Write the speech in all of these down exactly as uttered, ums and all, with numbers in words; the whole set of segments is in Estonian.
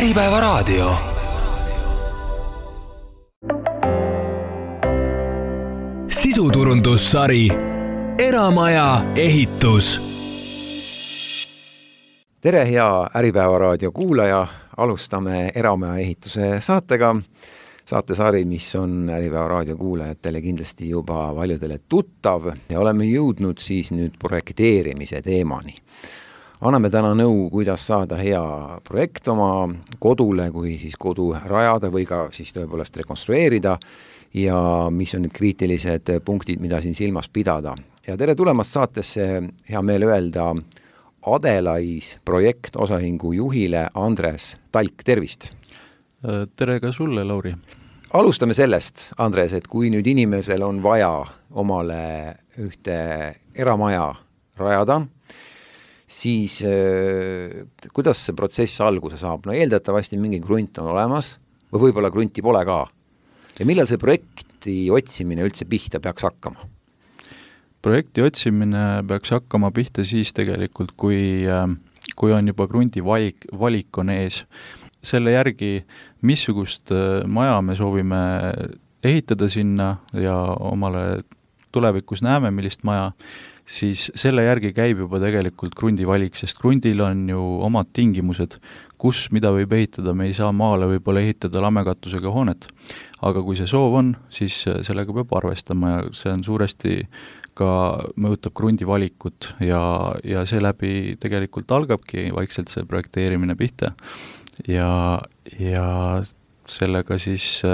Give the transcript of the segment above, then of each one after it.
Äripäeva raadio. Sisuturundussari Eramaja ehitus. Tere, hea Äripäeva raadio kuulaja. Alustame Eramaja ehituse saatega. Saatesari, mis on Äripäeva raadio kuulajatele kindlasti juba paljudele tuttav ja oleme jõudnud siis nüüd projekteerimise teemani. Anname täna nõu, kuidas saada hea projekt oma kodule, kui siis kodu rajada või ka siis tõepoolest rekonstrueerida ja mis on need kriitilised punktid, mida siin silmas pidada. Ja tere tulemast saatesse, hea meel öelda Adelais projekt osahingu juhile Andres Talk, tervist! Tere ka sulle, Lauri! Alustame sellest, Andres, et kui nüüd inimesel on vaja omale ühte eramaja rajada, siis äh, kuidas see protsess alguse saab? No eeldatavasti mingi grunt on olemas või võib-olla grunti pole ka. Ja millal see projekti otsimine üldse pihta peaks hakkama? Projekti otsimine peaks hakkama pihta siis tegelikult, kui, kui on juba grunti valik, valik on ees. Selle järgi, missugust maja me soovime ehitada sinna ja omale tulevikus näeme, millist maja, siis selle järgi käib juba tegelikult grundi valik, sest grundil on ju omad tingimused, kus mida võib ehitada, me ei saa maale võib-olla ehitada lamekatusega hoonet. Aga kui see soov on, siis sellega peab arvestama ja see on suuresti ka mõjutab grundi valikut ja, ja seeläbi tegelikult algabki vaikselt see projekteerimine pihta. Ja, ja sellega siis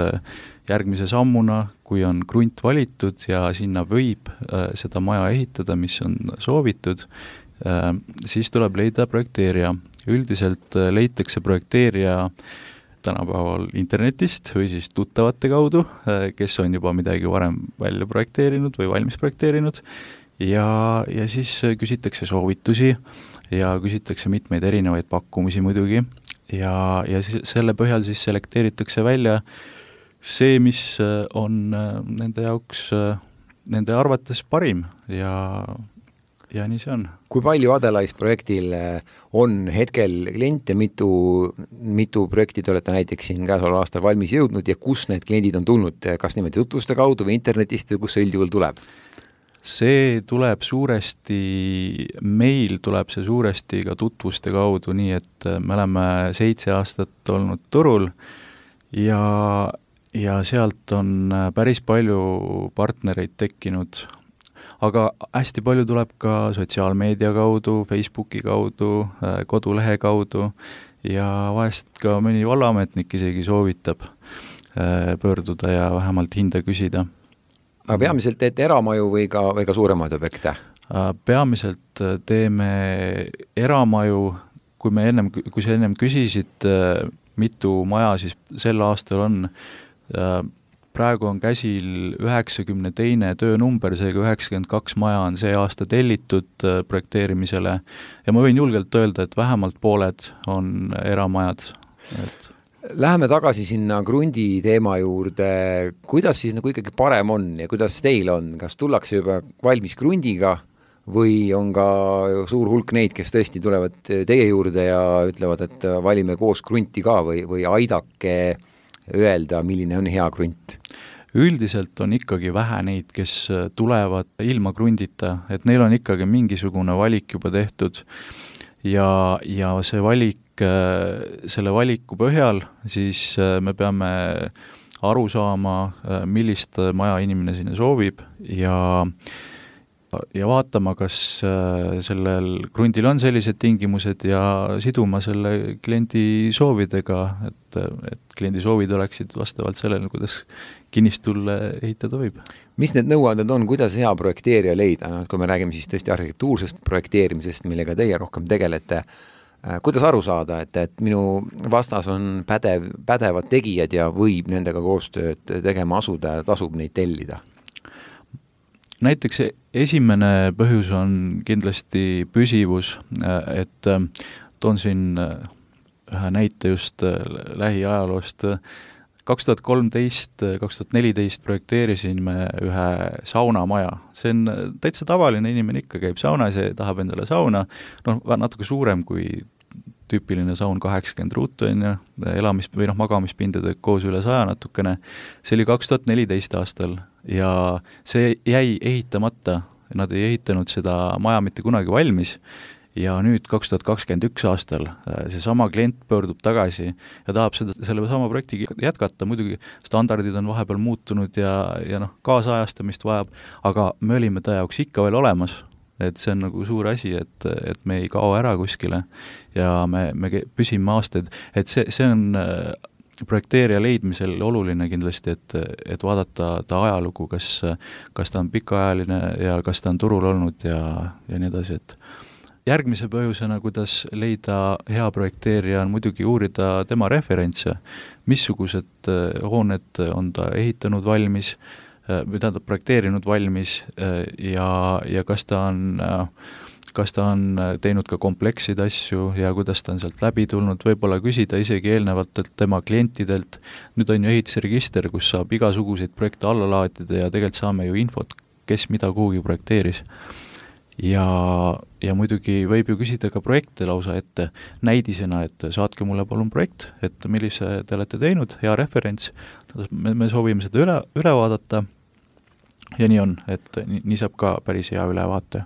järgmise sammuna, kui on grunt valitud ja sinna võib äh, seda maja ehitada, mis on soovitud, äh, siis tuleb leida projekteerija. Üldiselt äh, leitakse projekteerija tänapäeval internetist või siis tuttavate kaudu, äh, kes on juba midagi varem välja projekteerinud või valmis projekteerinud ja, ja siis küsitakse soovitusi ja küsitakse mitmeid erinevaid pakkumisi muidugi ja, ja selle põhjal siis selekteeritakse välja see, mis on nende jaoks, nende arvates parim ja, ja nii see on. Kui palju Adelais projektil on hetkel kliente, mitu, mitu projekti te olete näiteks siin käesoleval aastal valmis jõudnud ja kus need kliendid on tulnud, kas niimoodi tutvuste kaudu või internetist või kus see üldjuhul tuleb? See tuleb suuresti, meil tuleb see suuresti ka tutvuste kaudu, nii et me oleme seitse aastat olnud turul ja ja sealt on päris palju partnereid tekkinud, aga hästi palju tuleb ka sotsiaalmeedia kaudu, Facebooki kaudu, kodulehe kaudu ja vahest ka mõni vallaametnik isegi soovitab pöörduda ja vähemalt hinda küsida. Aga peamiselt teete eramaju või ka, või ka suuremaid objekte? Peamiselt teeme eramaju, kui, me ennem, kui sa ennem küsisid, mitu maja siis sel aastal on, praegu on käsil üheksakümne teine töönumber, seega üheksakümmend kaks maja on see aasta tellitud projekteerimisele ja ma võin julgelt öelda, et vähemalt pooled on eramajad. Et... Läheme tagasi sinna grundi teema juurde. Kuidas siis nagu ikkagi parem on ja kuidas teil on? Kas tullakse juba valmis grundiga või on ka suur hulk neid, kes tõesti tulevad teie juurde ja ütlevad, et valime koos grunti ka või, või aidake öelda, milline on hea grunt? Üldiselt on ikkagi vähe neid, kes tulevad ilma grundita, et neil on ikkagi mingisugune valik juba tehtud ja, ja see valik, selle valiku põhjal siis me peame aru saama, millist maja inimene sinna soovib ja ja vaatama, kas sellel grundil on sellised tingimused ja siduma selle kliendi soovidega, et, et kliendi soovid oleksid vastavalt sellele, kuidas kinnistulle ehitada võib. Mis need nõuanded on, kuidas hea projekteerija leida? No, kui me räägime siis tõesti arhitektuursest projekteerimisest, millega teie rohkem tegelete, kuidas aru saada, et, et minu vastas on pädev, pädevad tegijad ja võib nendega koostööd tegema asuda ja tasub neid tellida? Näiteks esimene põhjus on kindlasti püsivus, et toon siin ühe näite just lähiajaloost. kaks tuhat kolmteist kaks tuhat neliteist projekteerisin me ühe saunamaja. See on täitsa tavaline inimene, ikka käib saunas ja tahab endale sauna, noh, natuke suurem kui tüüpiline saun kaheksakümmend ruutu on ju, elamis- või noh, magamispindade koos üle saja natukene, see oli kaks tuhat neliteist aastal ja see jäi ehitamata, nad ei ehitanud seda maja mitte kunagi valmis ja nüüd kaks tuhat kakskümmend üks aastal see sama klient pöördub tagasi ja tahab seda, selle sama projekti jätkata, muidugi standardid on vahepeal muutunud ja, ja noh, kaasajastamist vajab, aga me olime ta jaoks ikka veel olemas, et see on nagu suur asi, et, et me ei kao ära kuskile ja me, me püsime aastaid, et see, see on projekteerija leidmisel oluline kindlasti, et, et vaadata ta ajalugu, kas, kas ta on pikaajaline ja kas ta on turul olnud ja, ja nii edasi, et järgmise põhjusena, kuidas leida hea projekteerija, on muidugi uurida tema referentse, missugused hooned on ta ehitanud valmis, või tähendab projekteerinud valmis ja, ja kas ta on, kas ta on teinud ka kompleksid asju ja kuidas ta on sealt läbi tulnud, võib-olla küsida isegi eelnevatelt tema klientidelt. Nüüd on ju ehitusregister, kus saab igasuguseid projekte alla laadida ja tegelikult saame ju infot, kes mida kuhugi projekteeris. Ja, ja muidugi võib ju küsida ka projekte lausa ette näidisena, et saatke mulle palun projekt, et millise te olete teinud, hea referents, me, me soovime seda üle, üle vaadata ja nii on, et nii, nii saab ka päris hea ülevaate.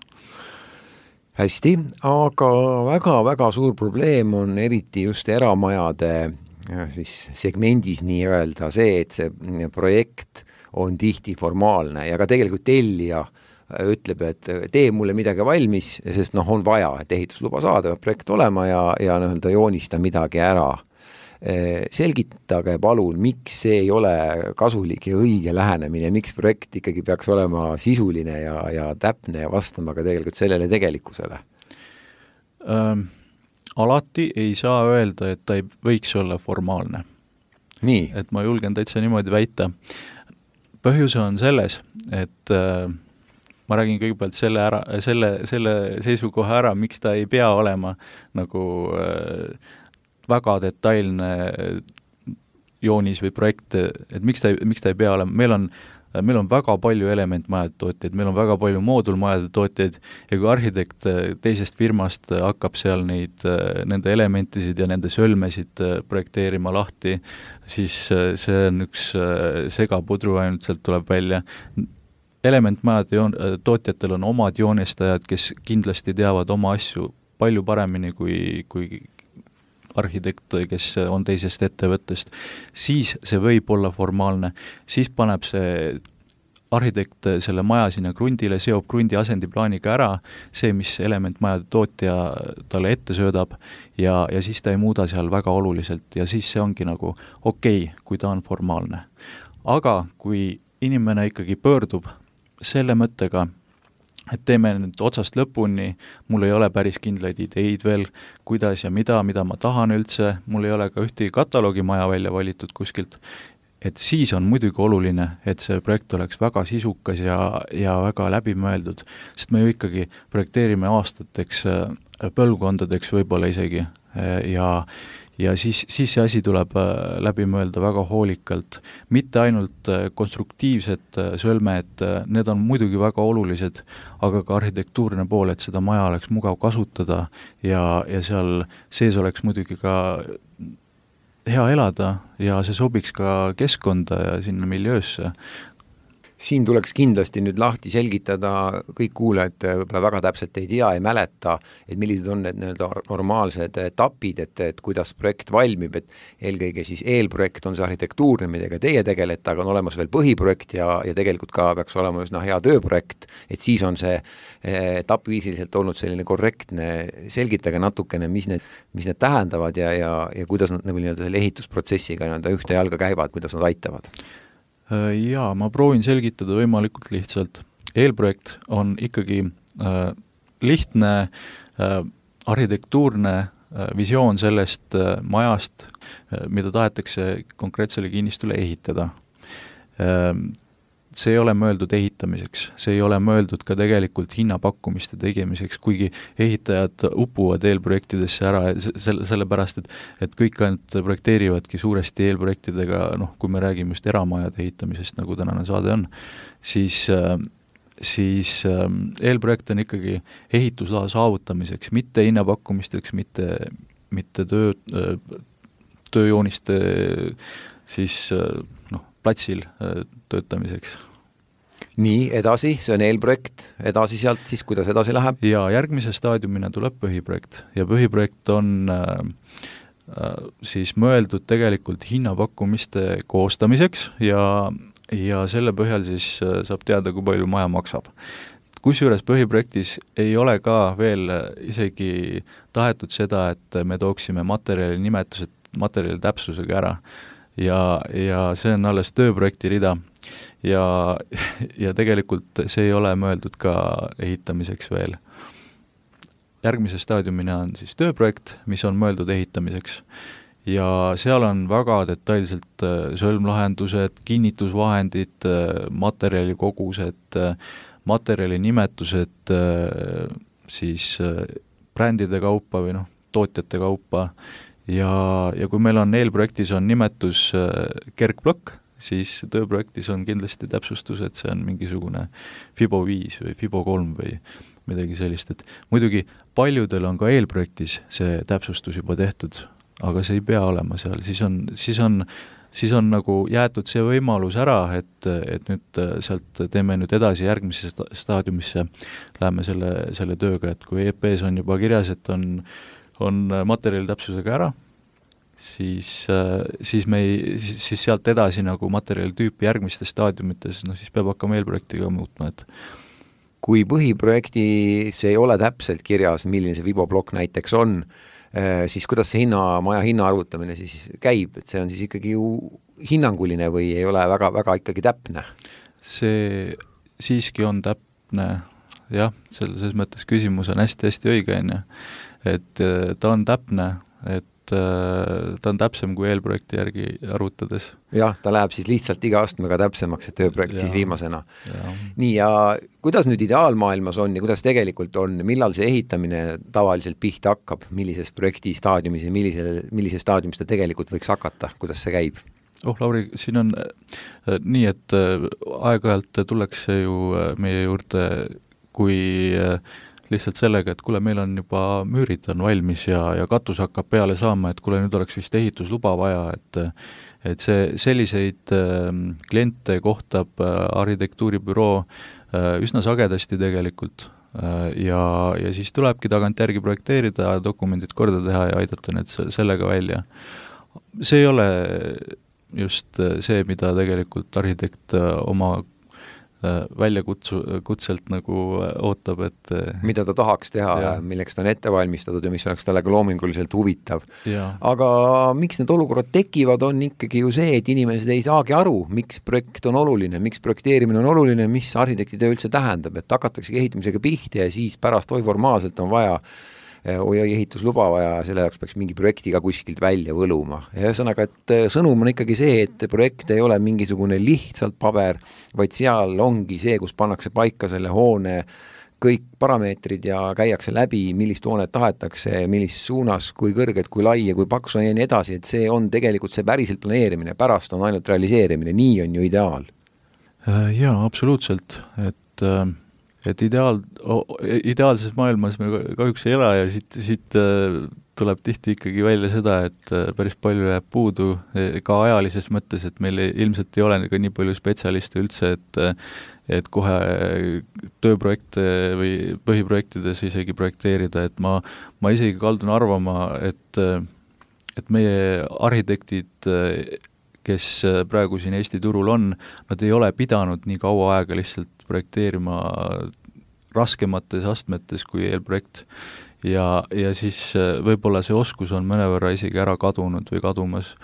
Hästi, aga väga-väga suur probleem on eriti just eramajade siis segmendis nii öelda see, et see projekt on tihti formaalne ja ka tegelikult tellija ütleb, et tee mulle midagi valmis, sest noh, on vaja, et ehitusluba saada, projekt olema ja, ja nii-öelda joonista midagi ära. Selgitage palun, miks see ei ole kasulik ja õige lähenemine, miks projekt ikkagi peaks olema sisuline ja, ja täpne ja vastama ka tegelikult sellele tegelikkusele? Ähm, alati ei saa öelda, et ta ei võiks olla formaalne. Nii. Et ma julgen täitsa niimoodi väita. Põhjus on selles, et äh, ma räägin kõigepealt selle, ära, selle, selle seisukoha ära, miks ta ei pea olema nagu äh, väga detailne joonis või projekt, et miks ta, miks ta ei pea olema, meil on, meil on väga palju elementmajade tootjaid, meil on väga palju moodulmajade tootjaid ja kui arhitekt teisest firmast hakkab seal neid, nende elementisid ja nende sölmesid projekteerima lahti, siis see on üks segapudru ainult sealt tuleb välja. Elementmajade joon, tootjatel on omad joonestajad, kes kindlasti teavad oma asju palju paremini kui, kui arhitekt, kes on teisest ettevõttest, siis see võib olla formaalne. Siis paneb see arhitekt selle maja sinna krundile, seob krundi asendiplaaniga ära, see, mis elementmajade tootja talle ette söödab ja, ja siis ta ei muuda seal väga oluliselt ja siis see ongi nagu okei, okay, kui ta on formaalne. Aga kui inimene ikkagi pöördub selle mõttega, et teeme nüüd otsast lõpuni, mul ei ole päris kindlaid ideid veel, kuidas ja mida, mida ma tahan üldse, mul ei ole ka ühtegi kataloogi maja välja valitud kuskilt, et siis on muidugi oluline, et see projekt oleks väga sisukas ja, ja väga läbimõeldud, sest me ju ikkagi projekteerime aastateks, põlvkondadeks võib-olla isegi ja ja siis, siis see asi tuleb läbi mõelda väga hoolikalt. Mitte ainult konstruktiivsed sölmed, need on muidugi väga olulised, aga ka arhitektuurne pool, et seda maja oleks mugav kasutada ja, ja seal sees oleks muidugi ka hea elada ja see sobiks ka keskkonda ja sinna miljöösse. Siin tuleks kindlasti nüüd lahti selgitada, kõik kuulajad võib-olla väga täpselt ei tea, ei mäleta, et millised on need nii-öelda normaalsed etapid, et, et kuidas projekt valmib, et eelkõige siis eelprojekt on see arhitektuurne, millega teie tegelete, aga on olemas veel põhiprojekt ja, ja tegelikult ka peaks olema üsna hea tööprojekt, et siis on see etappviisiliselt olnud selline korrektne, selgitage natukene, mis need, mis need tähendavad ja, ja, ja kuidas nad nagu nii-öelda selle ehitusprotsessiga nii-öelda ühte jalga käivad, kuidas nad aitavad. Jaa, ma proovin selgitada võimalikult lihtsalt. Eelprojekt on ikkagi äh, lihtne äh, arhitektuurne äh, visioon sellest äh, majast, äh, mida tahetakse konkreetsele kinnistule ehitada. Äh, see ei ole mõeldud ehitamiseks, see ei ole mõeldud ka tegelikult hinnapakkumiste tegemiseks, kuigi ehitajad upuvad eelprojektidesse ära selle, sellepärast, et, et kõik ainult projekteerivadki suuresti eelprojektidega, noh, kui me räägime just eramajade ehitamisest, nagu tänane saade on, siis, siis eelprojekt on ikkagi ehitusloa saavutamiseks, mitte hinnapakkumisteks, mitte mitte töö, tööjooniste siis noh, platsil töötamiseks. Nii, edasi, see on eelprojekt, edasi sealt siis, kuidas edasi läheb? Ja järgmise staadiumina tuleb põhiprojekt ja põhiprojekt on äh, siis mõeldud tegelikult hinnapakkumiste koostamiseks ja, ja selle põhjal siis saab teada, kui palju maja maksab. Kusjuures põhiprojektis ei ole ka veel isegi tahetud seda, et me tooksime materjali nimetused materjali täpsusega ära ja, ja see on alles tööprojekti rida ja, ja tegelikult see ei ole mõeldud ka ehitamiseks veel. Järgmise staadiumina on siis tööprojekt, mis on mõeldud ehitamiseks ja seal on väga detailselt sõlmlahendused, kinnitusvahendid, materjalikogused, materjali nimetused siis brändide kaupa või noh, tootjate kaupa ja, ja kui meil on eelprojektis on nimetus kergplokk, siis tööprojektis on kindlasti täpsustus, et see on mingisugune Fibo viis või Fibo kolm või midagi sellist, et muidugi paljudel on ka eelprojektis see täpsustus juba tehtud, aga see ei pea olema seal, siis on, siis on siis on nagu jäetud see võimalus ära, et, et nüüd sealt teeme nüüd edasi järgmise staadiumisse, läheme selle, selle tööga, et kui E P-s on juba kirjas, et on, on materjali täpsusega ära, siis, siis, me ei, siis sealt edasi nagu materjali tüüpi järgmistes staadiumites, no siis peab hakkama eelprojektiga muutma, et kui põhiprojektis ei ole täpselt kirjas, milline see Fibo plokk näiteks on, siis kuidas see hinna, maja hinna arvutamine siis käib, et see on siis ikkagi ju hinnanguline või ei ole väga, väga ikkagi täpne? See siiski on täpne, jah, selles mõttes küsimus on hästi-hästi õige, on ju. Et ta on täpne, et ta on täpsem kui eelprojekti järgi arvutades. Jah, ta läheb siis lihtsalt iga astmega täpsemaks, et tööprojekt ja, siis viimasena. Ja. Nii, ja kuidas nüüd ideaalmaailmas on ja kuidas tegelikult on, millal see ehitamine tavaliselt pihta hakkab, millises projekti staadiumis ja millise, millise staadiumis ta tegelikult võiks hakata, kuidas see käib? Oh, Lauri, siin on äh, nii, et äh, aeg-ajalt tullakse ju äh, meie juurde, kui äh, lihtsalt sellega, et kuule, meil on juba müürid on valmis ja, ja katus hakkab peale saama, et kuule, nüüd oleks vist ehitusluba vaja, et, et see, selliseid äh, kliente kohtab äh, arhitektuuribüroo äh, üsna sagedasti tegelikult äh, ja, ja siis tulebki tagantjärgi projekteerida, dokumendid korda teha ja aidata need sellega välja. See ei ole just see, mida tegelikult arhitekt oma välja kutsu, kutselt nagu ootab, et mida ta tahaks teha ja milleks ta on ette valmistatud ja mis oleks talle ka loominguliselt huvitav. Aga miks need olukorrad tekivad, on ikkagi ju see, et inimesed ei saagi aru, miks projekt on oluline, miks projekteerimine on oluline, mis arhitektitöö üldse tähendab, et hakatakse ehitamisega pihti ja siis pärast oi formaalselt on vaja oi ehitusluba vaja, selle jaoks peaks mingi projektiga kuskilt välja võluma. Ja ühesõnaga, et sõnum on ikkagi see, et projekt ei ole mingisugune lihtsalt paber, vaid seal ongi see, kus pannakse paika selle hoone kõik parameetrid ja käiakse läbi, millist hoonet tahetakse, millist suunas, kui kõrged, kui lai ja kui paks on ja nii edasi, et see on tegelikult see päriselt planeerimine, pärast on ainult realiseerimine, nii on ju ideaal. Jaa, absoluutselt, et et ideaal, ideaalses maailmas me kahjuks ei ela ja siit, siit tuleb tihti ikkagi välja seda, et päris palju jääb puudu ka ajalises mõttes, et meil ilmselt ei ole ka nii palju spetsialiste üldse, et, et kohe tööprojekte või põhiprojektides isegi projekteerida, et ma, ma isegi kaldun arvama, et, et meie arhitektid, kes praegu siin Eesti turul on, nad ei ole pidanud nii kaua aega lihtsalt projekteerima raskemates astmetes kui eelprojekt ja, ja siis võib-olla see oskus on mõnevõrra isegi ära kadunud või kadumas,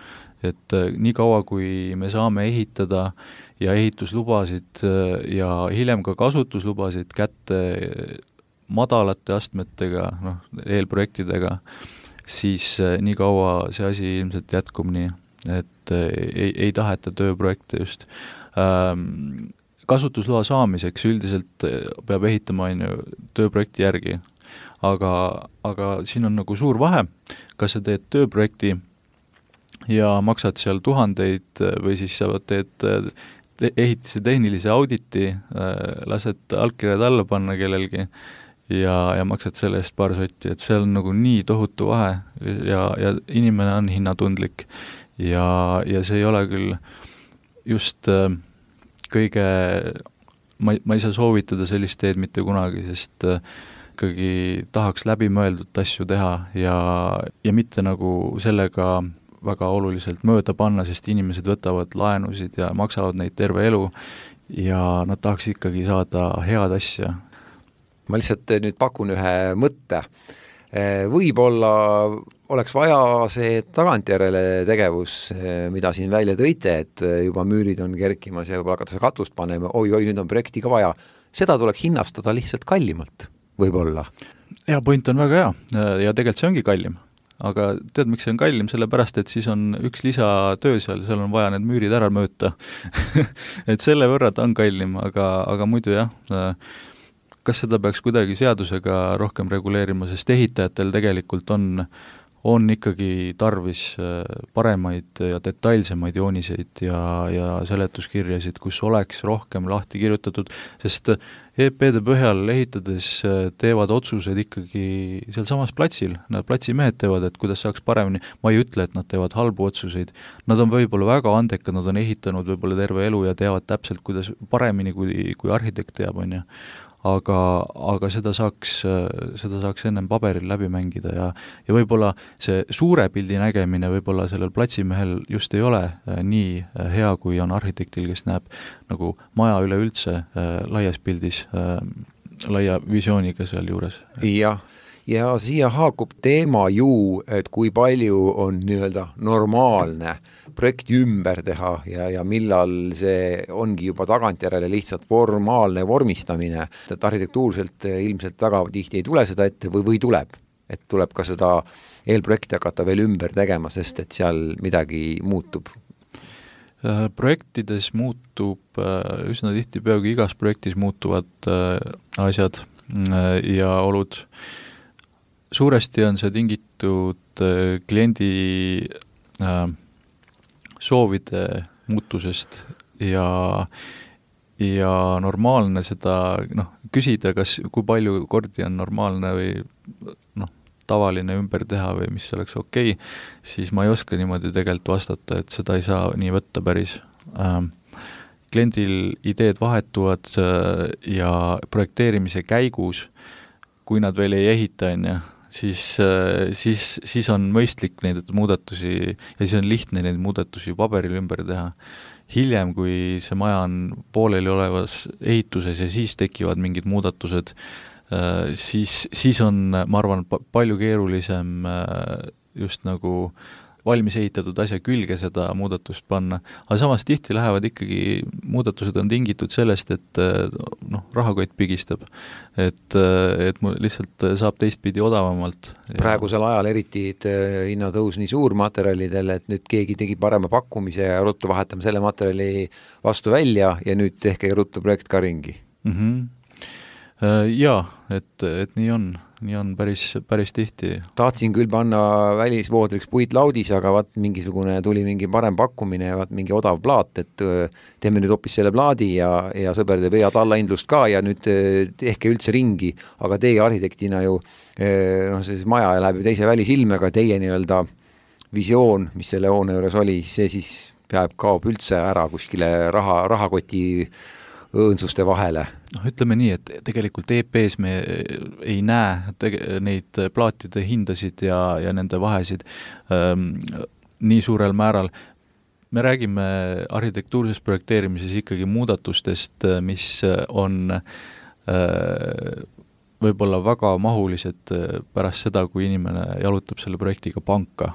et nii kaua, kui me saame ehitada ja ehituslubasid ja hiljem ka kasutuslubasid kätte madalate astmetega, noh, eelprojektidega, siis nii kaua see asi ilmselt jätkub nii, et ei, ei taheta tööprojekte just. Ähm, kasutusloa saamiseks üldiselt peab ehitama ainu tööprojekti järgi, aga, aga siin on nagu suur vahe, kas sa teed tööprojekti ja maksad seal tuhandeid või siis sa teed te- ehitise tehnilise auditi, lased allkirjad alla panna kellelgi ja, ja maksad selle eest paar sotti, et see on nagu nii tohutu vahe ja, ja inimene on hinnatundlik ja, ja see ei ole küll just äh, kõige, ma, ma ei saa soovitada sellist teed mitte kunagi, sest äh, ikkagi tahaks läbimõeldud asju teha ja, ja mitte nagu sellega väga oluliselt mööda panna, sest inimesed võtavad laenusid ja maksavad neid terve elu ja nad tahaks ikkagi saada head asja. Ma lihtsalt nüüd pakun ühe mõtte. Võib-olla oleks vaja see tagantjärele tegevus, mida siin välja tõite, et juba müürid on kerkimas ja võib-olla hakatakse katust panema, oi, oi, nüüd on projekti ka vaja. Seda tuleks hinnastada lihtsalt kallimalt, võib-olla. Ja point on väga hea ja tegelikult see ongi kallim. Aga tead, miks see on kallim? Sellepärast, et siis on üks lisatöö seal, seal on vaja need müürid ära mööta. et selle võrra ta on kallim, aga, aga muidu jah, kas seda peaks kuidagi seadusega rohkem reguleerima, sest ehitajatel tegelikult on, on ikkagi tarvis paremaid ja detailsemaid jooniseid ja, ja seletuskirjasid, kus oleks rohkem lahti kirjutatud, sest E P-de põhjal ehitades teevad otsused ikkagi seal samas platsil, nad platsimehed teevad, et kuidas saaks paremini, ma ei ütle, et nad teevad halbu otsuseid, nad on võib-olla väga andekad, nad on ehitanud võib-olla terve elu ja teavad täpselt, kuidas paremini, kui, kui arhitekt teab, on ju. Aga, aga seda saaks, seda saaks ennem paberil läbi mängida ja, ja võib-olla see suure pildi nägemine võib-olla sellel platsimehel just ei ole nii hea, kui on arhitektil, kes näeb nagu maja üleüldse laias pildis, laia visiooniga seal juures. Jah, ja siia haakub teema ju, et kui palju on nii-öelda normaalne projekti ümber teha ja, ja millal see ongi juba tagantjärele lihtsalt formaalne vormistamine, et arhitektuurselt ilmselt väga tihti ei tule seda ette või, või tuleb, et tuleb ka seda eelprojekti hakata veel ümber tegema, sest et seal midagi muutub. Projektides muutub, üsna tihti peagi igas projektis muutuvad asjad ja olud. Suuresti on see tingitud kliendi soovide muutusest ja, ja normaalne seda noh, küsida, kas, kui palju kordi on normaalne või noh, tavaline ümber teha või mis oleks okei, siis ma ei oska niimoodi tegelikult vastata, et seda ei saa nii võtta päris. Ähm, kliendil ideed vahetuvad ja projekteerimise käigus, kui nad veel ei ehita, on ja, siis, siis, siis on mõistlik neid muudatusi ja siis on lihtne neid muudatusi paberil ümber teha. Hiljem, kui see maja on pooleli olevas ehituses ja siis tekivad mingid muudatused, siis, siis on, ma arvan, palju keerulisem just nagu valmis ehitatud asja külge seda muudatust panna, aga samas tihti lähevad ikkagi, muudatused on tingitud sellest, et noh, rahakott pigistab, et, et lihtsalt saab teistpidi odavamalt. Praegusel ajal eriti hinnatõus nii suur materjalidel, et nüüd keegi tegi parema pakkumise ja ruttu vahetame selle materjali vastu välja ja nüüd tehke ruttu projekt ka ringi. Mm-hmm. Jaa, et, et nii on. Nii on päris, päris tihti. Tahtsin küll panna välisvoodriks puitlaudis, aga vaat mingisugune tuli mingi parem pakkumine ja vaat mingi odav plaat, et teeme nüüd hoopis selle plaadi ja, ja sõber teeb head allahindlust ka ja nüüd tehke üldse ringi, aga teie arhitektina ju noh, see maja läheb ju teise välisilmega, teie nii-öelda visioon, mis selle hoone juures oli, see siis peab kaob üldse ära kuskile raha, rahakoti õõnsuste vahele. noh, ütleme nii, et tegelikult E P-s me ei näe tege- neid plaatide hindasid ja, ja nende vahesid ähm, nii suurel määral. Me räägime arhitektuurses projekteerimises ikkagi muudatustest, mis on äh, võib-olla väga mahulised pärast seda, kui inimene jalutab selle projektiga panka.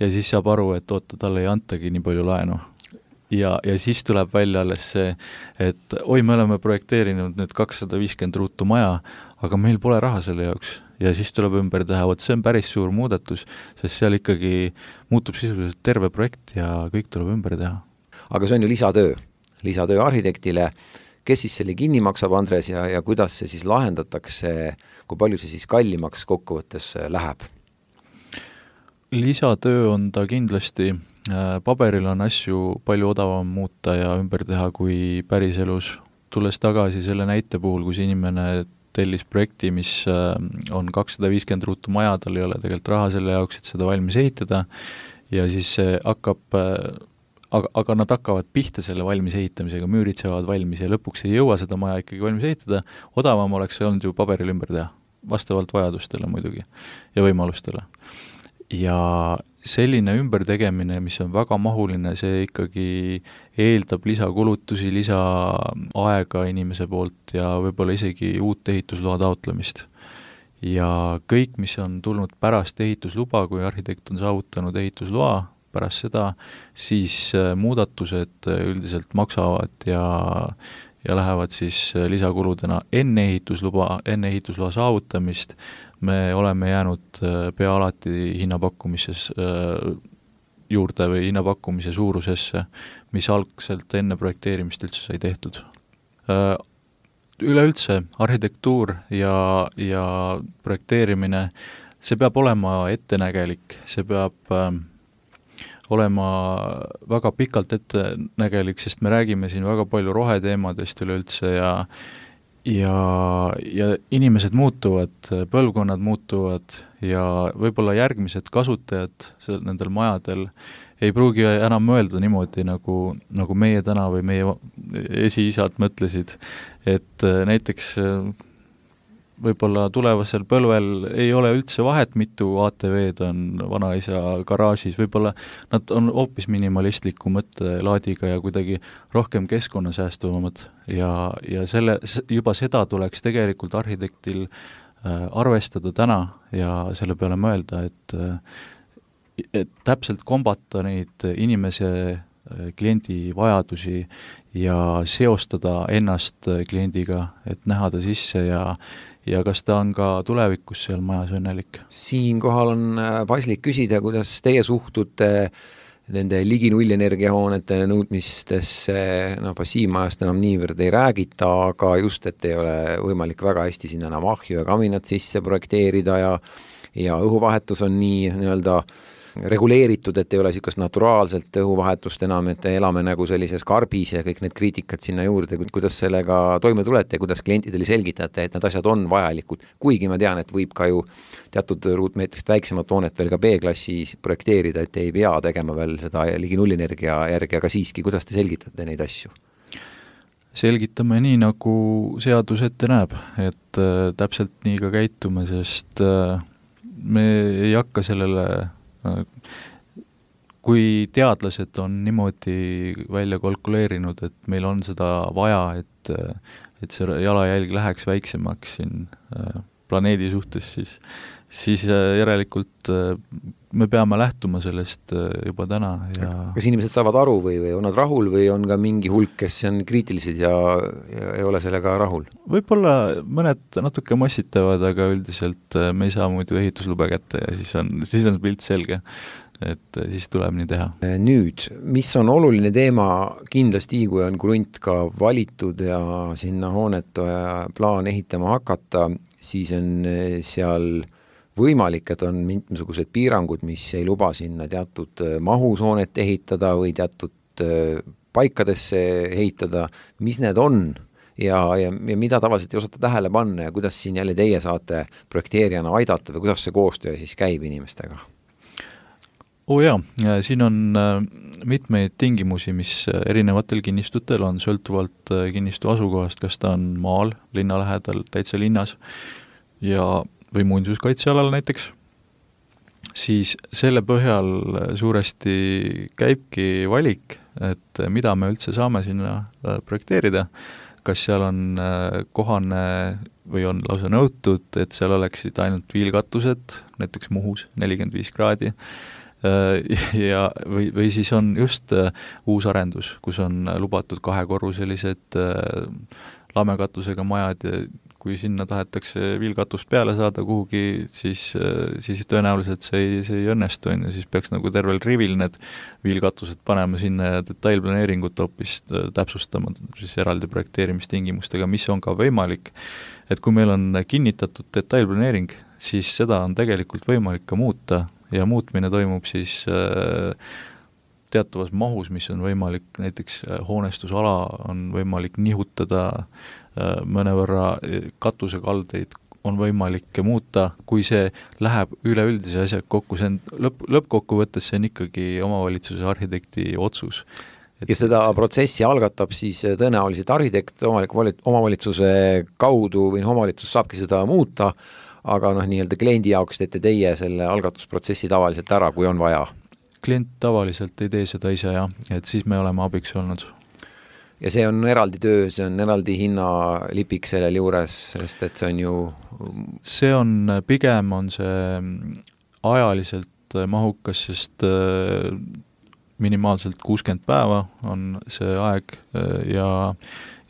Ja siis saab aru, et oota, talle ei antagi nii palju laenu. Ja, ja siis tuleb välja alles see, et oi, me oleme projekteerinud nüüd kakssada viiskümmend ruutu maja, aga meil pole raha selle jaoks. Ja siis tuleb ümber teha, vot see on päris suur muudatus, sest seal ikkagi muutub sisuliselt terve projekt ja kõik tuleb ümber teha. Aga see on ju lisatöö, lisatöö arhitektile. Kes siis selle kinni maksab, Andres, ja, ja kuidas see siis lahendatakse, kui palju see siis kallimaks kokkuvõttes läheb? Lisatöö on ta kindlasti, paberil on asju palju odavam muuta ja ümber teha kui päris elus. Tulles tagasi selle näite puhul, kus inimene tellis projekti, mis on kakssada viiskümmend ruutu maja, tal ei ole tegelikult raha selle jaoks, et seda valmis ehitada, ja siis see hakkab, aga, aga nad hakkavad pihta selle valmis ehitamisega, müürid saavad valmis ja lõpuks ei jõua seda maja ikkagi valmis ehitada, odavam oleks see olnud ju paberil ümber teha, vastavalt vajadustele muidugi ja võimalustele. Ja selline ümbertegemine, mis on väga mahuline, see ikkagi eeldab lisakulutusi, lisaaega inimese poolt ja võib-olla isegi uut ehitusloa taotlemist. Ja kõik, mis on tulnud pärast ehitusluba, kui arhitekt on saavutanud ehitusloa, pärast seda, siis muudatused üldiselt maksavad ja, ja lähevad siis lisakuludena enne ehitusluba, enne ehitusloa saavutamist. Me oleme jäänud pea alati hinnapakkumises juurde või hinnapakkumise suurusesse, mis algselt enne projekteerimist üldse sai tehtud. Üleüldse arhitektuur ja, ja projekteerimine, see peab olema ettenägelik, see peab olema väga pikalt ettenägelik, sest me räägime siin väga palju roheteemadest üleüldse ja Ja, ja inimesed muutuvad, põlvkonnad muutuvad ja võib-olla järgmised kasutajad nendel majadel ei pruugi enam mõelda niimoodi, nagu, nagu meie täna või meie esiisad mõtlesid, et näiteks võib-olla tulevasel põlvel ei ole üldse vahet, mitu A T V-d on vanaisa garaažis, võib-olla nad on hoopis minimalistliku mõttelaadiga ja kuidagi rohkem keskkonnasäästuvamad ja, ja selle, juba seda tuleks tegelikult arhitektil äh, arvestada täna ja selle peale mõelda, et, et täpselt kombata neid inimese äh, kliendi vajadusi ja seostada ennast kliendiga, et näha ta sisse ja ja kas ta on ka tulevikus seal majas õnnelik? Siinkohal on paslik küsida, kuidas teie suhtute nende ligi nullenergiahoonete nõudmistesse, no passiivmajast enam niivõrd ei räägita, aga just, et ei ole võimalik väga hästi sinna enam ahju ja kaminat sisse projekteerida ja, ja õhuvahetus on nii nii-öelda reguleeritud, et ei ole niisugust naturaalselt õhuvahetust enam, et elame nagu sellises karbis ja kõik need kriitikad sinna juurde, kuidas sellega toime tulete ja kuidas klientidele selgitate, et need asjad on vajalikud, kuigi ma tean, et võib ka ju teatud ruutmeetrist väiksemat hoonet veel ka B-klassis projekteerida, et ei pea tegema veel seda ligi nullenergia järgi, aga siiski, kuidas te selgitate neid asju? Selgitame nii, nagu seadus ette näeb, et äh, täpselt nii ka käitume, sest äh, me ei hakka sellele kui teadlased on niimoodi välja kalkuleerinud, et meil on seda vaja, et, et see jalajälg läheks väiksemaks siin planeedi suhtes, siis, siis järelikult me peame lähtuma sellest juba täna. Ja kas inimesed saavad aru või, või on nad rahul või on ka mingi hulk, kes on kriitilised ja, ja ei ole sellega rahul? Võib-olla mõned natuke massitavad, aga üldiselt me ei saa muidu ehituslube kätte ja siis on, siis on pilt selge, et siis tuleb nii teha. Nüüd, mis on oluline teema kindlasti, kui on krunt ka valitud ja sinna hoonet plaan ehitama hakata, siis on seal võimalik, et on mingisugused piirangud, mis ei luba sinna teatud mahus hoonet ehitada või teatud paikadesse ehitada. Mis need on ja, ja, ja mida tavaliselt ei osata tähele panna ja kuidas siin jälle teie saate projekteerijana aidata või kuidas see koostöö siis käib inimestega? Oo jaa, siin on mitmeid tingimusi, mis erinevatel kinnistutel on, sõltuvalt kinnistu asukohast, kas ta on maal, linna lähedal, täitsa linnas ja või muinsuskaitsealal näiteks, siis selle põhjal suuresti käibki valik, et mida me üldse saame sinna projekteerida, kas seal on kohane või on lausa nõutud, et seal oleksid ainult viilkatused, näiteks Muhus nelikümmend viis kraadi, ja, või, või siis on just uus arendus, kus on lubatud kahekorruselised lamekatusega majad ja kui sinna tahetakse viilkatust peale saada kuhugi, siis, siis tõenäoliselt see ei, see ei õnnestu, ja siis peaks nagu tervel rivil need viilkatused panema sinna ja detailplaneeringut hoopis täpsustama siis eraldi projekteerimistingimustega, mis on ka võimalik. Et kui meil on kinnitatud detailplaneering, siis seda on tegelikult võimalik ka muuta ja muutmine toimub siis äh, teatavas mahus, mis on võimalik, näiteks hoonestusala on võimalik nihutada mõnevõrra, katusekaldeid on võimalik muuta, kui see läheb üleüldise asjaga kokku, see on lõpp, lõppkokkuvõttes see on ikkagi omavalitsuse arhitekti otsus. Et ja seda protsessi algatab siis tõenäoliselt arhitekt omavalitsuse kaudu või omavalitsus saabki seda muuta, aga noh, nii-öelda kliendi jaoks teete teie selle algatusprotsessi tavaliselt ära, kui on vaja. Klient tavaliselt ei tee seda ise, jah, et siis me oleme abiks olnud. Ja see on eraldi töö, see on eraldi hinnalipik sellel juures, sest et see on ju... See on, pigem on see ajaliselt mahukas, sest minimaalselt kuuskümmend päeva on see aeg ja,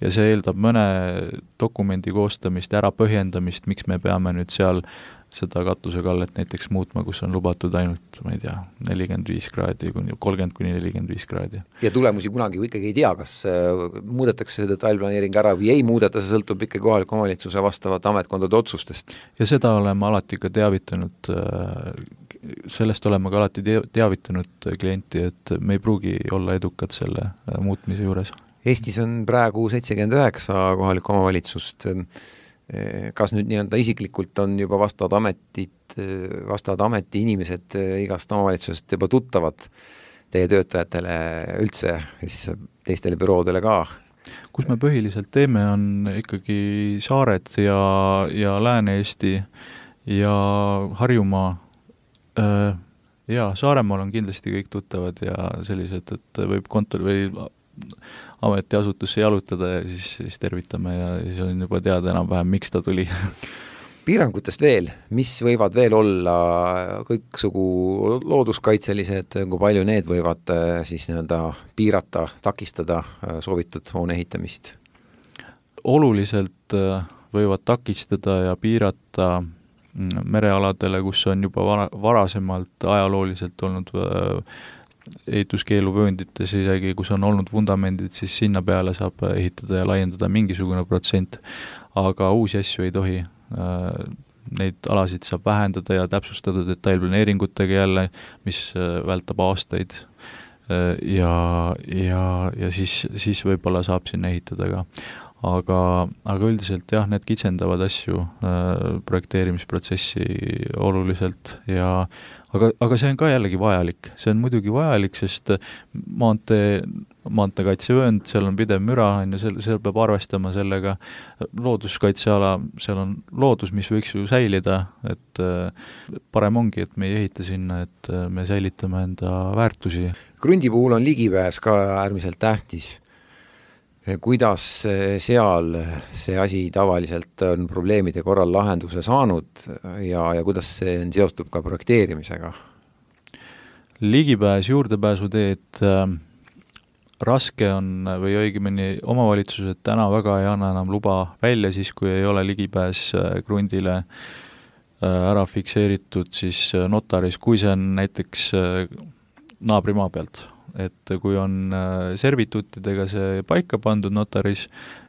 ja see eeldab mõne dokumendi koostamist, ära põhjendamist, miks me peame nüüd seal seda katusekallet näiteks muutma, kus on lubatud ainult, ma ei tea, nelikümmend viis kraadi, kolmkümmend kuni nelikümmend viis kraadi. Ja tulemusi kunagi ikkagi ei tea, kas muudetakse see detailplaneering ära või ei muudeta, see sõltub ikka kohaliku omavalitsuse vastavat ametkondade otsustest. Ja seda oleme alati ka teavitanud, sellest oleme ka alati teavitanud klienti, et me ei pruugi olla edukad selle muutmise juures. Eestis on praegu seitsekümmend üheksa kohalikku omavalitsust. Kas nüüd nii-öelda isiklikult on juba vastavad ametid, vastavad ameti inimesed igast omavalitsusest juba tuttavad teie töötajatele üldse, siis teistele büroodele ka? Kus me põhiliselt teeme, on ikkagi Saared ja, ja Lääne-Eesti ja Harjumaa. Ja Saaremaal on kindlasti kõik tuttavad ja sellised, et võib kontor või ametiasutusse jalutada ja siis, siis tervitame ja siis on juba teada enam-vähem, miks ta tuli. Piirangutest veel, mis võivad veel olla kõiksugu looduskaitselised, kui palju need võivad siis nii-öelda piirata, takistada soovitud hoone ehitamist? Oluliselt võivad takistada ja piirata merealadele, kus on juba vara, varasemalt ajalooliselt olnud ehituskeeluvööndites isegi, kus on olnud vundamendid, siis sinna peale saab ehitada ja laiendada mingisugune protsent, aga uusi asju ei tohi. Neid alasid saab vähendada ja täpsustada detailplaneeringutega jälle, mis vältab aastaid ja, ja, ja siis, siis võib-olla saab sinna ehitada ka. Aga, aga üldiselt jah, need kitsendavad asju projekteerimisprotsessi oluliselt ja Aga, aga see on ka jällegi vajalik. See on muidugi vajalik, sest maantee, maanteekaitsevöönd, seal on pidev müra, on ja seal, seal peab arvestama sellega. Looduskaitseala, seal on loodus, mis võiks ju säilida, et parem ongi, et me ei ehita sinna, et me säilitame enda väärtusi. Krundi puhul on ligipääs ka äärmiselt tähtis. Kuidas seal see asi tavaliselt on probleemide korral lahenduse saanud ja, ja kuidas see on seostub ka projekteerimisega? Ligipääs, juurdepääsuteed äh, raske on või õigemini omavalitsused täna väga ei anna enam luba välja siis, kui ei ole ligipääs äh, krundile äh, ära fikseeritud siis notaris, kui see on näiteks äh, naabrimaa pealt. Et kui on servituutidega see paika pandud notaris,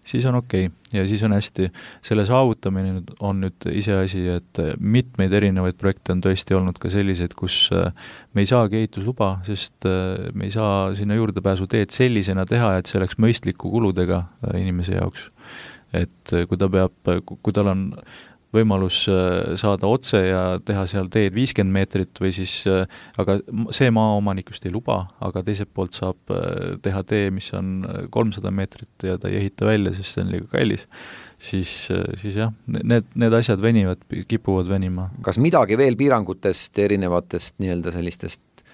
siis on okei okay. Ja siis on hästi. Selle saavutamine on nüüd ise asi, et mitmeid erinevaid projekte on tõesti olnud ka sellised, kus me ei saagi ehitusluba, sest me ei saa sinna juurdepääsu teed sellisena teha, et see oleks mõistliku kuludega inimese jaoks. Et kui ta peab, kui tal on võimalus saada otse ja teha seal teed viiskümmend meetrit või siis, aga see maaomanikust ei luba, aga teiselt poolt saab teha tee, mis on kolmsada meetrit ja ta ei ehita välja, sest see on liiga kallis, siis, siis jah, need, need asjad venivad, kipuvad venima. Kas midagi veel piirangutest, erinevatest nii-öelda sellistest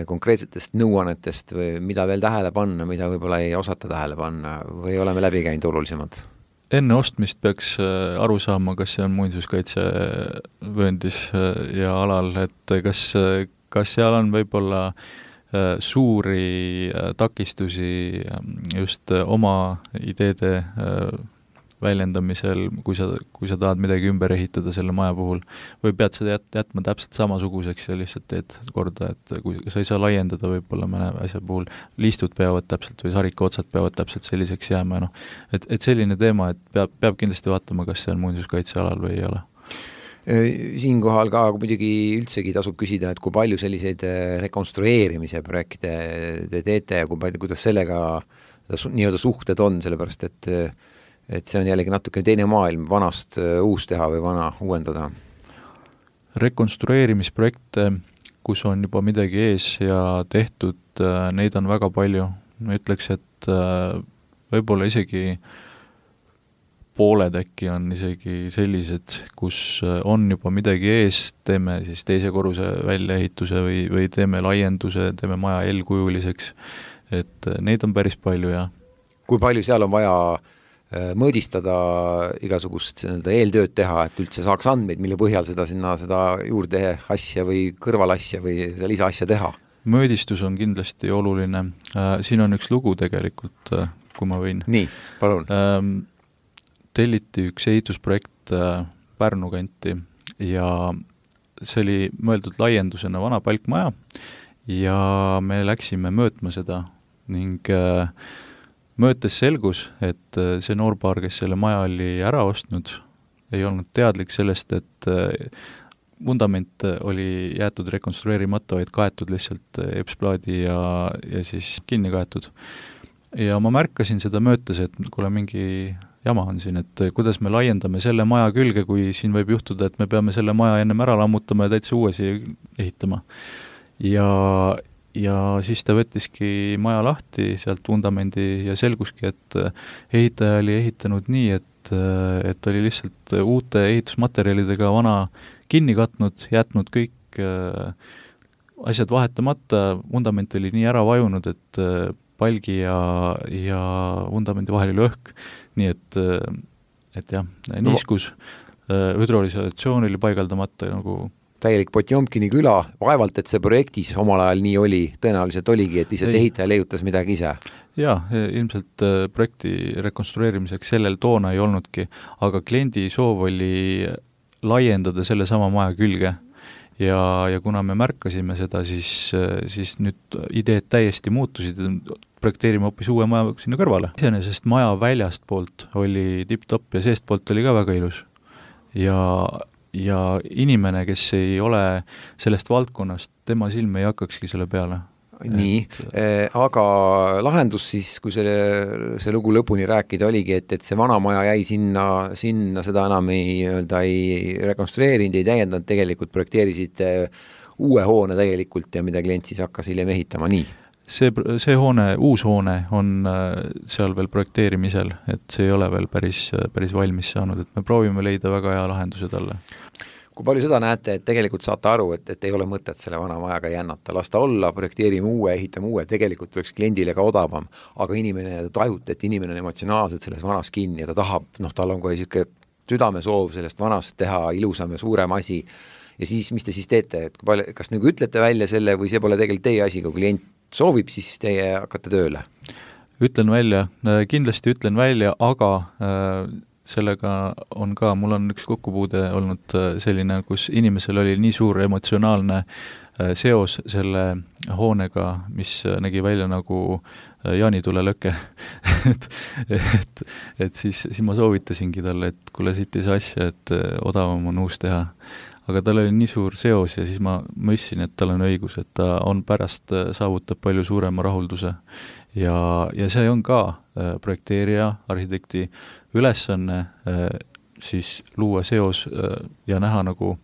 konkreetsetest nõuannetest või mida veel tähele panna, mida võib-olla ei osata tähele panna või oleme läbi käinud olulisemad? Enne ostmist peaks aru saama, kas see on muinsuskaitsevööndis ja alal, et kas, kas seal on võib-olla suuri takistusi just oma ideede väljendamisel, kui sa, kui sa tahad midagi ümber ehitada selle maja puhul, või pead seda jät, jätma täpselt samasuguseks ja lihtsalt teed korda, et kui sa ei saa laiendada võib-olla mõne asja puhul, liistud peavad täpselt või sarika otsad peavad täpselt selliseks jääma, noh, et, et selline teema, et peab, peab kindlasti vaatama, kas see on muinsuskaitsealal või ei ole. Siinkohal ka muidugi üldsegi tasub küsida, et kui palju selliseid rekonstrueerimise projekte te teete ja kui palju, kuidas sellega nii-öelda suhted on, sellepärast et, et see on jällegi natuke teine maailm, vanast uus teha või vana uuendada. Rekonstrueerimisprojekte, kus on juba midagi ees ja tehtud, neid on väga palju. Ma ütleks, et võib-olla isegi pooled äkki on isegi sellised, kus on juba midagi ees, teeme siis teise korruse väljaehituse või, või teeme laienduse, teeme maja eelkujuliseks, et neid on päris palju ja kui palju seal on vaja mõõdistada igasugust eeltööd teha, et üldse saaks andmeid, mille põhjal seda sinna seda juurde asja või kõrvalasja või seda lisaasja teha? Mõõdistus on kindlasti oluline. Siin on üks lugu tegelikult, kui ma võin. Nii, palun. Telliti üks ehitusprojekt Pärnu kanti ja see oli mõeldud laiendusena vana palkmaja ja me läksime möötma seda ning möötes selgus, et see noorpaar, kes selle maja oli ära ostnud, ei olnud teadlik sellest, et vundament oli jäetud rekonstrueerimata, vaid kaetud lihtsalt epsplaadi ja, ja siis kinni kaetud. Ja ma märkasin seda möötes, et kuule mingi jama on siin, et kuidas me laiendame selle maja külge, kui siin võib juhtuda, et me peame selle maja ennem ära lammutama ja täitsa uuesi ehitama. Ja, ja siis ta võttiski maja lahti sealt vundamendi ja selguski, et ehitaja oli ehitanud nii, et, et oli lihtsalt uute ehitusmaterjalidega vana kinni katnud, jätnud kõik asjad vahetamata, vundament oli nii ära vajunud, et palgi ja, ja vundamendi vahel oli õhk, nii et, et jah, niiskus, hüdrolisatsioon oli paigaldamata nagu täielik Potjomkini küla, vaevalt, et see projektis omal ajal nii oli, tõenäoliselt oligi, et lihtsalt ehitaja leiutas midagi ise. Jaa, ilmselt projekti rekonstrueerimiseks sellel toona ei olnudki, aga kliendi soov oli laiendada selle sama maja külge ja, ja kuna me märkasime seda, siis, siis nüüd ideed täiesti muutusid, projekteerime hoopis uue maja sinna kõrvale. Iseenesest maja väljast poolt oli tipp-topp ja seest poolt oli ka väga ilus. Ja, ja inimene, kes ei ole sellest valdkonnast, tema silm ei hakkakski selle peale. Nii, et... aga lahendus siis, kui selle, see lugu lõpuni rääkida oligi, et, et see vana maja jäi sinna, sinna seda enam ei, öelda, ei rekonstrueerinud, ei täiendanud, tegelikult projekteerisid uue hoone tegelikult ja mida klient siis hakkas hiljem ehitama, nii? See, see hoone, uus hoone on seal veel projekteerimisel, et see ei ole veel päris, päris valmis saanud, et me proovime leida väga hea lahenduse talle. Kui palju seda näete, et tegelikult saate aru, et, et ei ole mõtet selle vana majaga jännata, lasta olla, projekteerime uue, ehitame uue, tegelikult oleks kliendile ka odavam, aga inimene tajut, et inimene on emotsionaalselt selles vanas kinni ja ta tahab, noh, tal on kohe siuke südamesoov sellest vanast teha ilusam ja suurem asi ja siis, mis te siis teete, et kui palju, kas nagu ütlete välja selle või see pole tegelikult teie asi, kui klient soovib, siis teie hakkate tööle? Ütlen välja, kindlasti ütlen välja, aga äh, sellega on ka, mul on üks kokkupuude olnud selline, kus inimesel oli nii suur emotsionaalne seos selle hoonega, mis nägi välja nagu jaanitulelöke. et, et, et siis, siis ma soovitasingi talle, et kuule siit ei saa asja, et odavam on uus teha. Aga tal oli nii suur seos ja siis ma mõistsin, et tal on õigus, et ta on pärast saavutab palju suurema rahulduse. Ja, ja see on ka projekteerija, arhitekti ülesanne siis luua seos ja näha nagu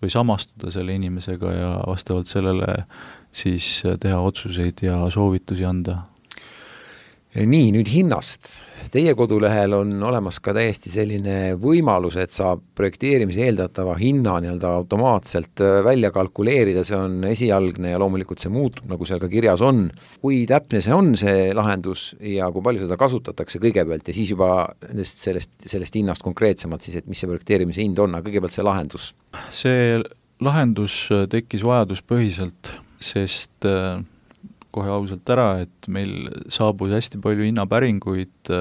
või samastuda selle inimesega ja vastavalt sellele siis teha otsuseid ja soovitusi anda. Nii, nüüd hinnast. Teie kodulehel on olemas ka täiesti selline võimalus, et saab projekteerimise eeldatava hinna nii-öelda automaatselt välja kalkuleerida, see on esialgne ja loomulikult see muutub, nagu seal ka kirjas on. Kui täpne see on, see lahendus ja kui palju seda kasutatakse kõigepealt ja siis juba sellest, sellest hinnast konkreetsemalt siis, et mis see projekteerimise hind on, aga kõigepealt see lahendus? See lahendus tekkis vajaduspõhiselt, sest kohe ausalt ära, et meil saabus hästi palju hinnapäringuid.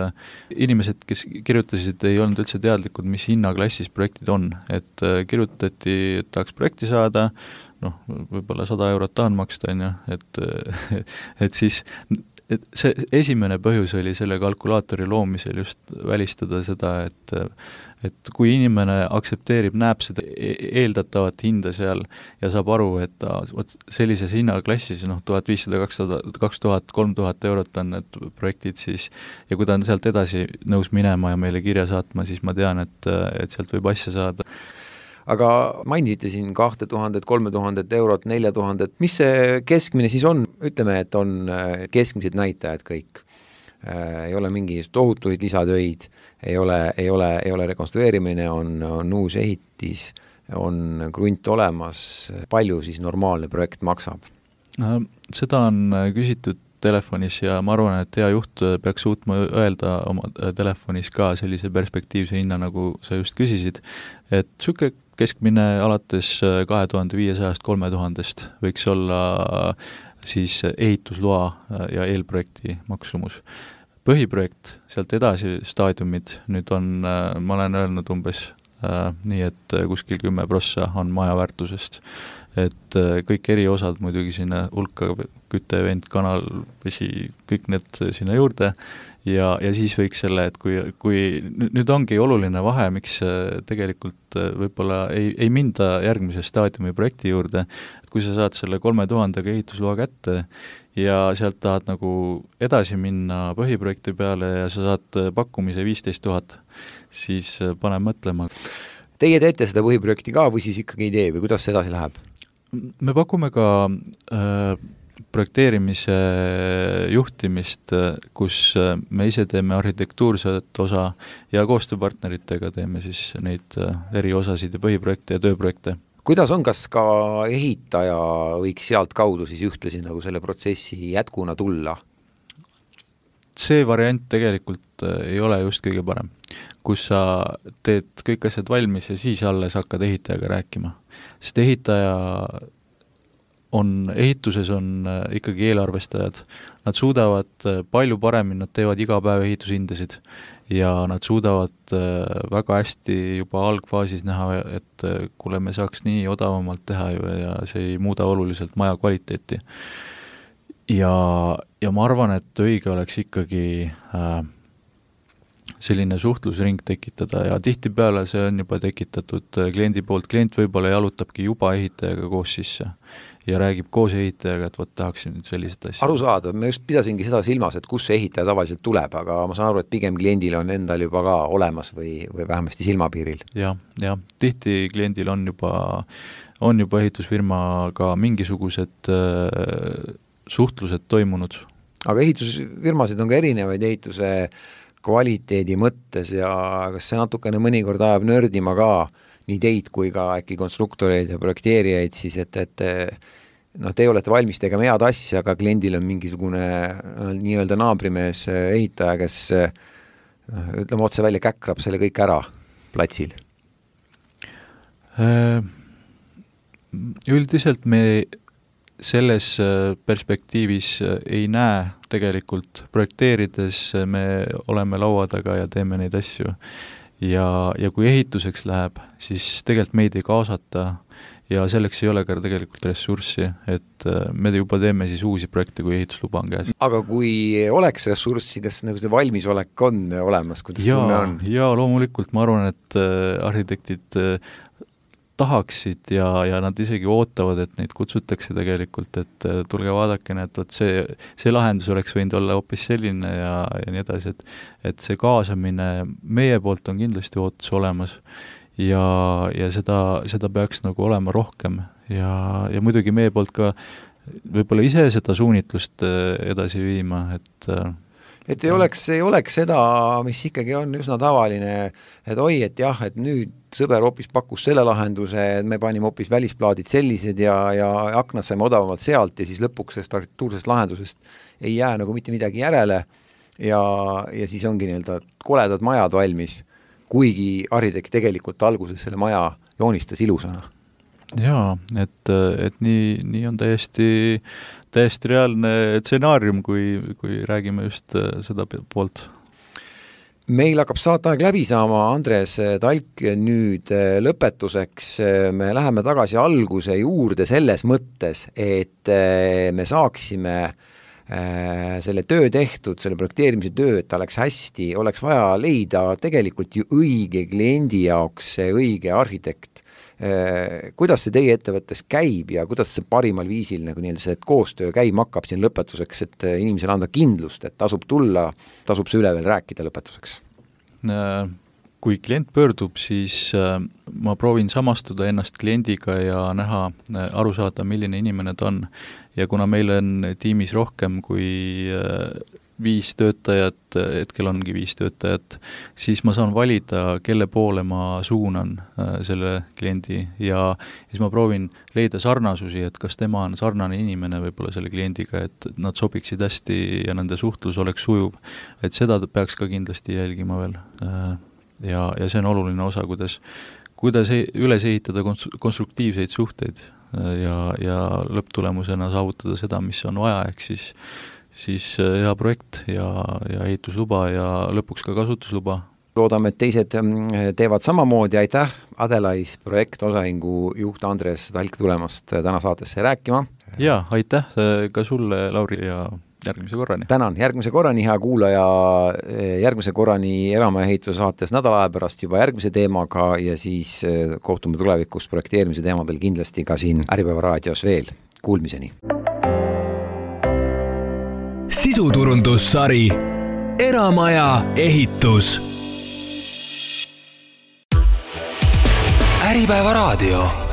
Inimesed, kes kirjutasid, ei olnud üldse teadlikud, mis hinnaklassis projektid on. Et kirjutati, et tahaks projekti saada, noh, võib-olla sada eurot tahan maksta, on ju, et, et siis et see esimene põhjus oli selle kalkulaatori loomisel just välistada seda, et et kui inimene aktsepteerib, näeb seda eeldatavat hinda seal ja saab aru, et ta, võt, sellises hinnaklassis, noh, tuhat viissada, kaks tuhat, kolm tuhat eurot on need projektid siis, ja kui ta on sealt edasi nõus minema ja meile kirja saatma, siis ma tean, et, et sealt võib asja saada. Aga mainisite siin kahte tuhandet, kolme tuhandet eurot, nelja tuhandet, mis see keskmine siis on? Ütleme, et on keskmised näitajad kõik. Ei ole mingi tohutuid lisatöid, ei ole, ei ole, ei ole rekonstrueerimine, on, on uus ehitis, on krunt olemas, palju siis normaalne projekt maksab? Seda on küsitud telefonis ja ma arvan, et hea juht peaks suutma öelda oma telefonis ka sellise perspektiivse hinna, nagu sa just küsisid, et süke keskmine alates kahe tuhande viiesajast kolme tuhandest võiks olla siis ehitusloa ja eelprojekti maksumus. Põhiprojekt, sealt edasi staadiumid, nüüd on, ma olen öelnud umbes äh, nii, et kuskil kümme prossa on maja väärtusest, et äh, kõik eri osad muidugi sinna hulka, küte, vent, kanal, vesi, kõik need sinna juurde ja, ja siis võiks selle, et kui, kui nüüd ongi oluline vahe, miks tegelikult võib-olla ei, ei minda järgmise staadiumi projekti juurde, et kui sa saad selle kolme tuhandega ehitusloa kätte ja sealt tahad nagu edasi minna põhiprojekti peale ja sa saad pakkumise viisteist tuhat, siis pane mõtlema. Teie teete seda põhiprojekti ka või siis ikkagi ei tee või kuidas see edasi läheb? Me pakume ka äh, projekteerimise juhtimist, kus me ise teeme arhitektuurset osa ja koostööpartneritega teeme siis neid eri osasid ja põhiprojekte ja tööprojekte. Kuidas on, kas ka ehitaja võiks sealt kaudu siis ühtlasi nagu selle protsessi jätkuna tulla? See variant tegelikult ei ole just kõige parem, kus sa teed kõik asjad valmis ja siis alles hakkad ehitajaga rääkima. Sest ehitaja on, ehituses on ikkagi eelarvestajad. Nad suudavad palju paremini, nad teevad iga päev ehitushindasid ja nad suudavad väga hästi juba algfaasis näha, et kuule, me saaks nii odavamalt teha ju ja see ei muuda oluliselt maja kvaliteeti. Ja, ja ma arvan, et õige oleks ikkagi äh, selline suhtlusring tekitada ja tihtipeale see on juba tekitatud kliendi poolt. Klient võib-olla jalutabki juba ehitajaga koos sisse ja räägib koos ehitajaga, et võt tahaksin nüüd sellised asja. Aru saada, me just pidasingi seda silmas, et kus see ehitaja tavaliselt tuleb, aga ma saan aru, et pigem kliendil on endal juba ka olemas või, või vähemasti silmapiiril. Ja, ja tihti kliendil on juba, on juba ehitusfirmaga mingisugused äh, suhtlused toimunud. Aga ehitusfirmasid on ka erinevaid ehituse kvaliteedi mõttes ja kas see natukene mõnikord ajab nördima ka nii teid kui ka äkki konstruktoreid ja projekteerijaid siis, et, et noh, te olete valmis tegema head asja, aga kliendil on mingisugune no, nii-öelda naabrimees ehitaja, kes no, ütleme otse välja käkrab selle kõik ära platsil. Üldiselt me selles perspektiivis ei näe tegelikult projekteerides, me oleme laua taga ja teeme neid asju. Ja, ja kui ehituseks läheb, siis tegelikult meid ei kaasata ja selleks ei ole ka tegelikult ressurssi, et me juba teeme siis uusi projekte, kui ehitusluba on käes. Aga kui oleks ressurssi, kas nagu see valmisolek on olemas, kuidas ja, tunne on? Jaa, loomulikult ma arvan, et arhitektid tahaksid ja, ja nad isegi ootavad, et neid kutsutakse tegelikult, et tulge vaadake, et see, see lahendus oleks võinud olla hoopis selline ja, ja nii edasi, et, et see kaasamine meie poolt on kindlasti ootus olemas ja, ja seda, seda peaks nagu olema rohkem ja, ja muidugi meie poolt ka võib-olla ise seda suunitlust edasi viima, et et ei oleks, ei oleks seda, mis ikkagi on üsna tavaline, et oi, et jah, et nüüd sõber hoopis pakkus selle lahenduse, et me panime hoopis välisplaadid sellised ja, ja aknad saime odavamalt sealt ja siis lõpuks sellest arhitektuursest lahendusest ei jää nagu mitte midagi järele ja, ja siis ongi nii-öelda koledad majad valmis, kuigi arhitekt tegelikult alguses selle maja joonistas ilusana. Jaa, et, et nii, nii on täiesti, täiesti reaalne stsenaarium, kui, kui räägime just seda poolt. Meil hakkab saateaeg läbi saama, Andres Talk, nüüd lõpetuseks me läheme tagasi alguse juurde selles mõttes, et me saaksime selle töö tehtud, selle projekteerimise töö, et ta oleks hästi, oleks vaja leida tegelikult ju õige kliendi jaoks see õige arhitekt. Kuidas see teie ettevõttes käib ja kuidas see parimal viisil nagu nii-öelda see koostöö käima hakkab siin lõpetuseks, et inimesele anda kindlust, et tasub tulla, tasub see üle veel rääkida lõpetuseks? Kui klient pöördub, siis ma proovin samastuda ennast kliendiga ja näha, aru saada, milline inimene ta on. Ja kuna meil on tiimis rohkem kui viis töötajat, hetkel ongi viis töötajat, siis ma saan valida, kelle poole ma suunan selle kliendi ja siis ma proovin leida sarnasusi, et kas tema on sarnane inimene võib-olla selle kliendiga, et nad sobiksid hästi ja nende suhtlus oleks sujuv. Et seda peaks ka kindlasti jälgima veel. Ja, ja see on oluline osa, kuidas, kuidas üles ehitada konstruktiivseid suhteid ja, ja lõpptulemusena saavutada seda, mis on vaja, ehk siis, siis hea projekt ja, ja ehitusluba ja lõpuks ka kasutusluba. Loodame, et teised teevad samamoodi. Aitäh, Adelais projektosahingu juht Andres Talk tulemast täna saatesse rääkima. Ja, aitäh ka sulle, Lauri, ja järgmise korrani. Tänan, järgmise korrani, hea kuulaja, järgmise korrani Eramaja ehituse saates nädala aja pärast juba järgmise teemaga ja siis kohtume tulevikus projekteerimise teemadel kindlasti ka siin Äripäeva raadios veel. Kuulmiseni. Sisuturundussari Eramaja ehitus. Äripäeva raadio.